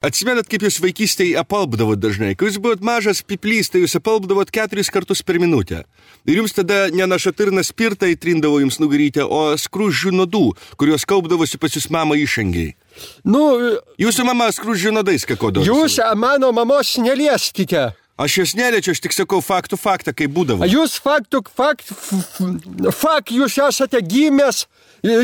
Atsimenat, kaip jūs vaikystėje apalpdavot dažnai? Kai jūs buvot mažas piplys, tai jūs apalpdavot 4 kartus per minutę. Ir jums tada ne našatirna spirtą įtrindavo jums nugarytę, o skruzdžių nuodų, kuriuos kaupdavosi pas jūs mama išangiai. Jūsų mama skruzdžių nuodais kakodavo. Jūs mano mamos nelieskite. Aš jos neliečiu, aš tik sakau faktą, kaip būdavo. Jūs jūs esate gimęs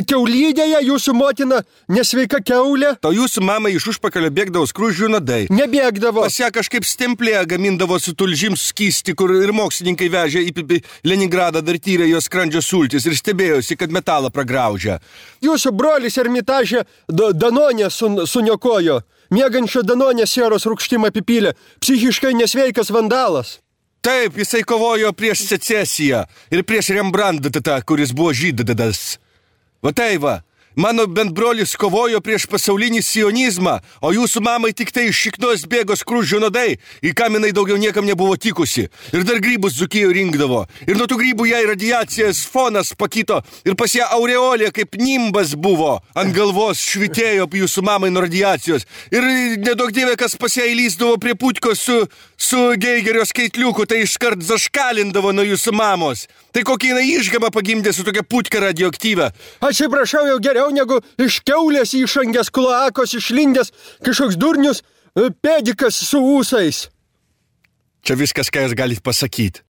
kiaulydėje, jūsų motina nesveika kiaulė. O jūsų mama iš užpakalio bėgdavo skruzdžių nuodai. Nebėgdavo. Pas ją kažkaip stemplėje gamindavo su tulžim skysti, kur ir mokslininkai vežė į Leningradą, dar tyrė jos skrandžio sultis ir stebėjosi, kad metalą pragraužia. Jūsų brolis Ermitažė Danonė suniokojo. Miegančio Danonė sieros rūgštim apipylė. Psichiškai nesveikas vandalas. Taip, jisai kovojo prieš secesiją ir prieš Rembrandtą, kuris buvo žydadas. Va tai va, mano bendbrolis kovojo prieš pasaulinį sionizmą, o jūsų mamai tik tai iš šiknos bėgo skruzdžių nuodai, į kaminai daugiau niekam nebuvo tikusi. Ir dar grybus Dzūkijoje rinkdavo. Ir nuo tų grybų jai radiacijos fonas pakito ir pas ją aureolė kaip nimbas buvo. Ant galvos švitėjo jūsų mamai nuo radiacijos. Ir nedaug dievė, kas pas ją įlysdavo prie putkos su Geigerio skaitliuku, tai iškart zaškalindavo nuo jūsų mamos. Tai kokį jinai išgamą pagimdė su tokia putka radioaktyvę. Atsiprašau, jau geriau negu iš kiaulės išangės kloakos išlindęs kažkoks durnius pedikas su ūsais. Čia viskas, ką jūs galite pasakyti.